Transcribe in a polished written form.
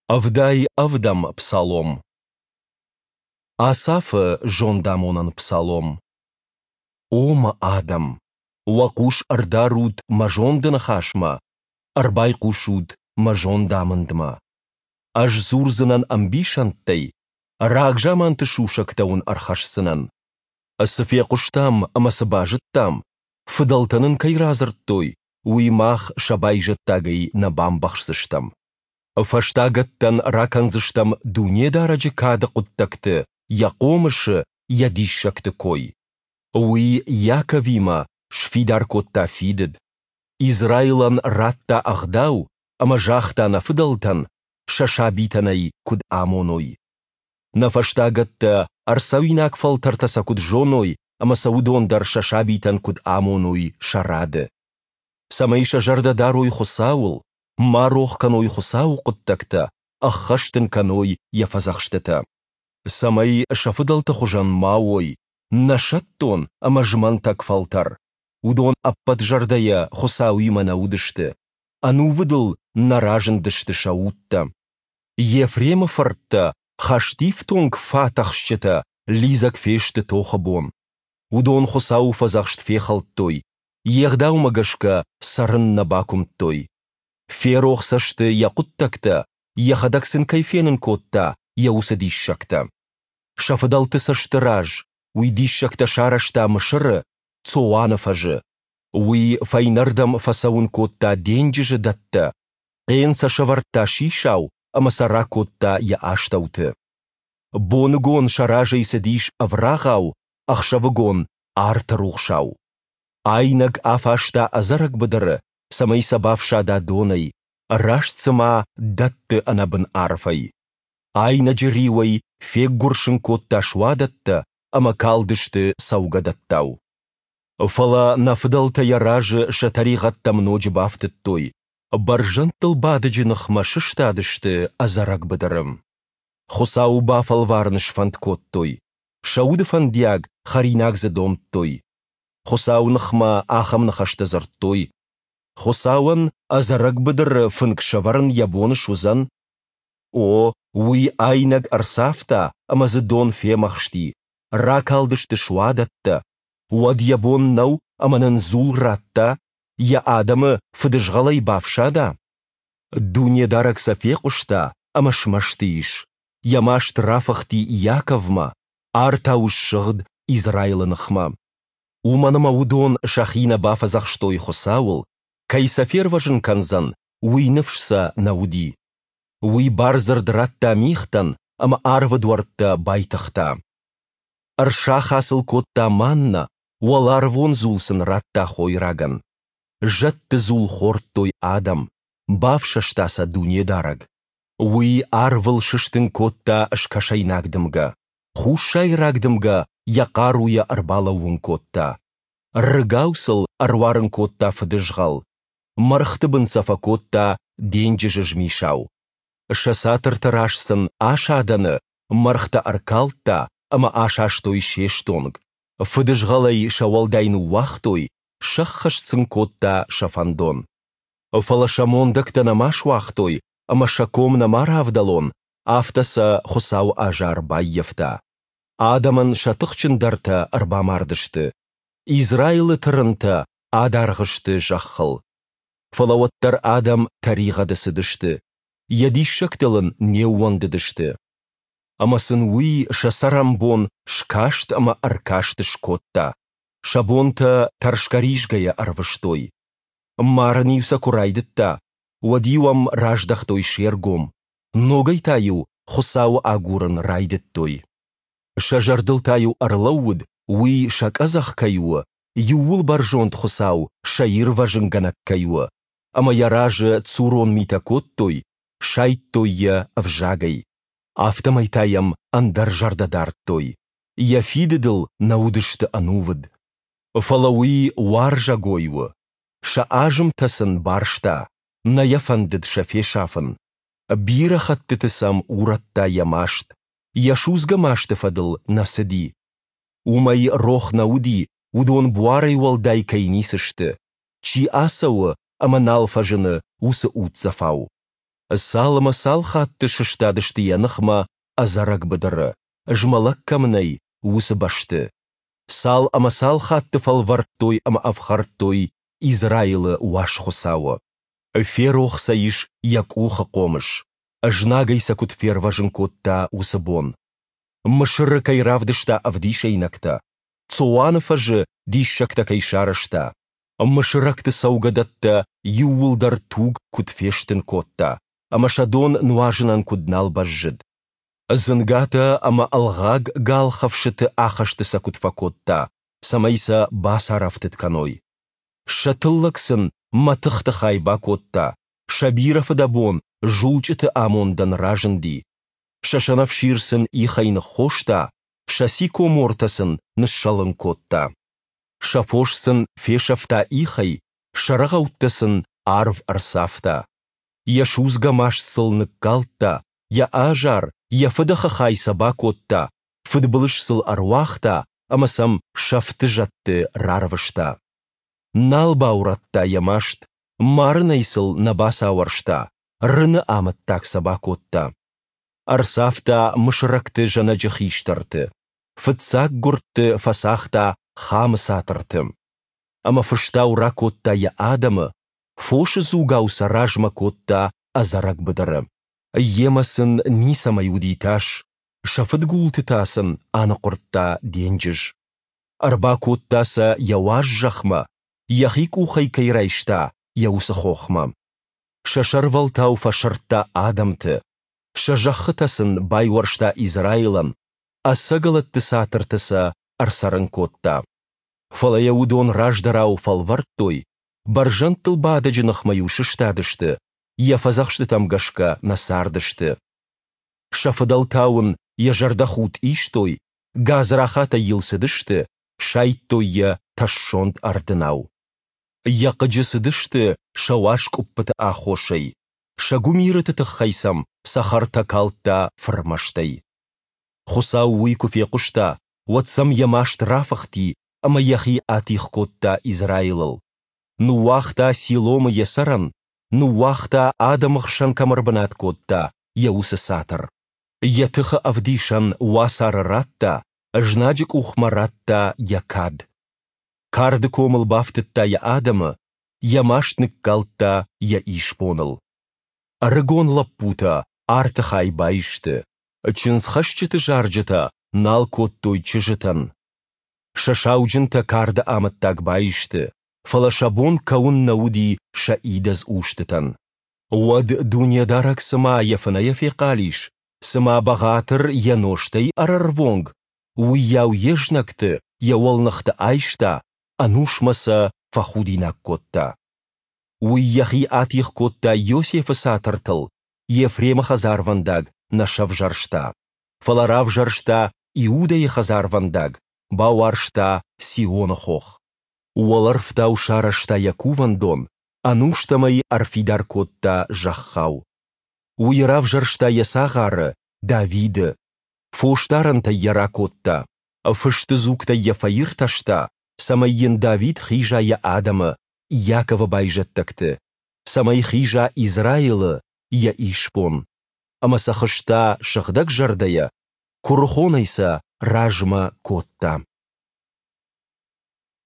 77-ӕм псалом. Асафы зондамонӕн псалом. О мӕ адӕм, уӕ хъус ӕрдарут мӕ зонды ныхасмӕ, ӕрбайхъусут мӕ зондамындмӕ. Ӕз дзурдзынӕн ӕмбисӕндтӕй, рагзаманты сусӕгтӕ уын ӕрхӕсдзынӕн. Цы фехъуыстам ӕмӕ цы базыдтам, фыдӕлтӕ нын кӕй радзырдтой, уый мах сӕ байзӕддагӕй нӕ бамбӕхсдзыстӕм. Фӕстагӕттӕн ракӕндзыстӕм Дунедарӕджы кады хъуыддӕгты, Йӕ хъомысы, Йӕ диссӕгты кой. Уый Иаковимӕ сфидар кодта фидыд, Израилӕн радта Ӕгъдау ӕмӕ загъта нӕ фыдӕлтӕн, сӕ сабитӕн ӕй куыд амоной. Нӕ фӕстагӕттӕ, ӕрцӕуинаг фӕлтӕртӕ сӕ куыд зоной ӕмӕ сӕ уыдон дӕр сӕ сабитӕн куыд амоной сӕ рады. Цӕмӕй сӕ зӕрдӕ дарой Хуыцауыл, ма рох кӕной Хуыцауы хъуыддӕгтӕ, ӕххӕст ын кӕной йӕ фӕдзӕхстытӕ. Цӕмӕй сӕ фыдӕлты хуызӕн ма уой, нӕсӕттон ӕмӕ змӕнтӕг фӕлтӕр, уыдон ӕппӕт зӕрдӕйӕ Хуыцауимӕ нӕ уыдысты, ӕнувыдыл нӕ разындысты сӕ удтӕ. Ефремы фырттӕ, хӕстифтонг фатӕхсджытӕ, лидзӕг фесты тохы бон. Уыдон Хуыцауы фӕдзӕхст фехӕлдтой, йе гъдаумӕ гӕсгӕ цӕрын нӕ бакуымдтой. Ферох сӕ сты йӕ хъуыддӕгтӕ, йӕхӕдӕг сын кӕй фенын кодта, йӕ уыцы диссӕгтӕ. Сӕ фыдӕлты цӕсты раз уый диссӕгтӕ сарӕзта Мысыры, Цоаны фӕзы. Уый фӕйнӕрдӕм фӕцӕуын кодта денджызы дӕттӕ, хъен сӕ сӕвӕрдта сисау ӕмӕ сӕ ракодта йӕ астӕуты. Боныгон сӕ разӕй цыдис ӕврагъау, ӕхсӕвыгон арты рухсау. Айнӕг афаста ӕдзӕрӕг быдыры, цӕмӕй сӕ бафсада донӕй, раст цыма дӕтты ӕнӕбын арфӕй. Айнӕджы риуӕй феггуырсын кодта суадӕттӕ ӕмӕ калдысты цӕугӕдӕттау. Фӕлӕ нӕ фыдӕлтӕ йӕ разы сӕ тӕригъӕдтӕм ноджы бафтыдтой, бӕрзӕндтыл бадӕджы ныхмӕ сыстадысты ӕдзӕрӕг быдыры. Хуыцауы бафӕлварын сфӕнд кодтой, сӕ уды фӕндиаг хӕринаг дзы домдтой. Хуыцауы ныхмӕ ахӕм ныхӕстӕ дзырдтой: Хуыцауӕн ӕдзӕрӕг быдыры фынг сӕвӕрын йӕ бон суыдзӕн? О, уый айнӕг ӕрцавта ӕмӕ дзы дон фемӕхсти, ракалдысты суадӕттӕ. Уӕд йӕ бон нӕу ӕмӕ нын дзул радта, йӕ адӕмы фыдызгъӕлӕй бафсада? Дунедарӕг сӕ фехъуыста ӕмӕ смӕсты ис. Йӕ маст рафыхти Иаковмӕ, артау ссыгъд Израилы ныхмӕ. Уымӕн ӕмӕ уыдон сӕхи нӕ бафӕдзӕхстой Хуыцауыл, кӕй сӕ фервӕзын кӕндзӕн, уый ныфс сӕ нӕ уыди. Уый бардзырд радта мигътӕн ӕмӕ арвы дуӕрттӕ байтыгъта. Ӕрсаха сыл кодта маннӕ, уӕларвон дзул сын радта хойрагӕн. Зӕдты дзул хордтой адӕм, бафсӕста сӕ Дунедарӕг. Уый арвыл сыстын кодта скӕсӕйнаг дымгӕ, хуссайраг дымгӕ йӕ хъаруйӕ ӕрбалӕууын кодта. Рыгау сыл ӕруарын кодта фыдызгъӕл, мӕргъты бын сӕ фӕкодта денджызы змисау. Сӕ цатырты раз сын асадӕны мӕргътӕ ӕркалдта ӕмӕ асастой се стонг. Фыдызгъӕлӕй сӕ уӕлдай ныууагътой, сӕххӕст сын кодта сӕ фӕндон. Фӕлӕ сӕ мондӕгтӕ нӕма суагътой ӕмӕ сӕ ком нӕма равдӕлон, афтӕ сӕ Хуыцауы азар баййӕфта. Адӕмӕн сӕ тыхджындӕртӕ ӕрбамардысты. Израилы тырынтӕ адаргъ сты зӕххыл. Фӕлӕ уӕддӕр адӕм тӕригъӕды цыдысты, йӕ диссӕгтыл ын не ууӕндыдысты. Ӕмӕ сын уый сӕ цӕрӕнбон скаст ӕмӕ ӕркаст скодта, сӕ бонтӕ тӕрсгӕ-ризгӕйӕ ӕрвыстой. Марын-иу сӕ куы райдыдта, уӕд-иу ӕм раздӕхтой се ргом, ногӕй та-иу Хуыцауы агурын райдыдтой. Сӕ зӕрдыл та-иу ӕрлӕууыд, уый сӕ къӕдзӕх кӕй у, Иууылбӕрзонд Хуыцау сӕ ирвӕзынгӕнӕг кӕй у, ӕмӕ йӕ разы цурон митӕ кодтой, сайдтой йӕ ӕвзагӕй. Афтӕмӕй та йӕм ӕндӕр зӕрдӕ дардтой, йӕ фидыдыл нӕ уыдысты ӕнувыд. Фӕлӕ уый уарзӕгой у, сӕ азымтӕ сын барста, нӕ йӕ фӕндыд сӕ фесафын. Бирӕ хӕттыты сӕм урӕдта йӕ маст, йӕ судзгӕ масты фӕдыл нӕ цыди. Уымӕй рох нӕ уыди, уыдон буарӕй уӕлдай кӕй ницы сты, чи ацӕуы ӕмӕ нал фӕзыны, уыцы уддзӕфау. Цал ӕмӕ цал хатты сыстадысты йӕ ныхмӕ ӕдзӕрӕг быдыры, змӕлӕг кӕм нӕй, уыцы бӕсты! Цал ӕмӕ цал хатты фӕлвӕрдтой ӕмӕ ӕфхӕрдтой Израилы Уаз Хуыцауы! Ферох сӕ ис йӕ къухы хъомыс, знагӕй сӕ куыд фервӕзын кодта, уыцы бон. Мысыры кӕй равдыста ӕвдисӕйнӕгтӕ, Цоаны фӕзы диссӕгтӕ кӕй сарӕзта, мысырӕгты цӕугӕдӕттӕ иууылдӕр туг куыд фестын кодта ӕмӕ сӕ дон нуазынӕн куыд нал бӕззыд. Дзынгатӕ ӕмӕ ӕлгъаг галхӕфсыты ахӕсты сӕ куыд фӕкодта, цӕмӕй сӕ бацарӕфтыд кӕной. Сӕ тыллӕг сын мӕтыхты хай бакодта, сӕ бирӕ фыдӕбон зулчъыты амондӕн разынди. Сӕ сӕнӕфсир сын ихӕй ныххоста, сӕ сикомортӕ сын ныссӕлын кодта. Сӕ фос сын фесӕфта ихӕй, сӕ рӕгъӕуттӕ сын арв ӕрцавта. Йӕ судзгӕ маст сыл ныккалдта, йӕ азар, йӕ фыдӕхы хай сӕ бакодта, фыдбылыз сыл ӕруагъта ӕмӕ сӕм сӕфты зӕдты рарвыста. Нал баурӕдта йӕ маст, марынӕй сыл нӕ бацауӕрста, рыны амӕттаг сӕ бакодта. Ӕрцавта мысырӕгты зӕнӕджы хистӕрты, фыццаг гуырдты фӕцагъта Хамы цатырты. Ӕмӕ фыстау ракодта йӕ адӕмы, фосы дзугау сӕ размӕ кодта ӕдзӕрӕг быдыры. Йемӕ сын ницӕмӕй уыди тас, сӕ фыдгулты та сын аныхъуырдта денджыз. Ӕрбакодта сӕ йӕ уаз зӕхмӕ, йӕхи къухӕй кӕй райста, йӕ уыцы хохмӕ. Сӕ сӕрвӕлтау фӕсырдта адӕмты, сӕ зӕххытӕ сын байуӕрста Израилӕн, ӕцӕгӕлӕтты цатырты сӕ ӕрцӕрын кодта. Фӕлӕ йӕ уыдон раздӕрау фӕлвӕрдтой, бӕрзӕндтыл бадӕджы ныхмӕ-иу сыстадысты, йӕ фӕдзӕхстытӕм гӕсгӕ нӕ цардысты. Сӕ фыдӕлтау ын йӕ зӕрдӕхудт истой, гадзрахатӕй йыл цыдысты, сайдтой йӕ тӕссонд ӕрдынау. Йӕ хъыджы цыдысты сӕ уаз къуыппыты аххосӕй, сӕ гуымирыты тыххӕй сӕм цӕхӕртӕ калдта фырмӕстӕй. Хуыцау уый куы фехъуыста, уӕд сӕм йӕ маст рафыхти ӕмӕ йӕхи атигъ кодта Израилыл. Ныууагъта Силомы йӕ цӕрӕн, ныууагъта, адӕмы хсӕн кӕм ӕрбынат кодта, йӕ уыцы цатыр. Йӕ тыхы ӕвдисӕн уацары радта, знаджы къухмӕ радта йӕ кад. Карды комыл бафтыдта йӕ адӕмы, йӕ маст ныккалдта йӕ исбоныл. Ӕрыгон лӕппутӕ арты хай баисты, чындзхӕсджыты зарджытӕ нал кодтой чызджытӕн. Сӕ сауджынтӕ карды амӕттаг баисты, фӕлӕ сӕ бон кӕуын нӕ уыди сӕ идӕдз устытӕн. Уӕд Дунедарӕг цыма йӕ фынӕйӕ фехъал ис, цыма бӕгъатыр йӕ нозтӕй ӕрӕрвонг, уыйау йе знӕгты йӕ уӕлныхты айста, ӕнусмӕ сӕ фӕхудинаг кодта. Уый йӕхи атигъ кодта Иосифы цатыртыл, Ефремы хӕдзарвӕндаг нӕ сӕвзӕрста, фӕлӕ равзӕрста Иудӕйы хӕдзарвӕндаг, бауарзта Сионы хох. Уӕлӕрвтау сарӕзта йӕ кувӕндон, ӕнустӕм ӕй ӕрфидар кодта зӕххау. Уый равзӕрста йӕ цагъары, Давиды. Фосдарӕнтӕй йӕ ракодта, фысты дзугтӕй йӕ фӕиртӕста, цӕмӕй йын Давид хиза йӕ адӕмы, Иаковы байзӕддӕгты, цӕмӕй хиза Израилы, йӕ исбон. Ӕмӕ сӕ хызта сыгъдӕгзӕрдӕйӕ, куырыхонӕй сӕ размӕ кодта.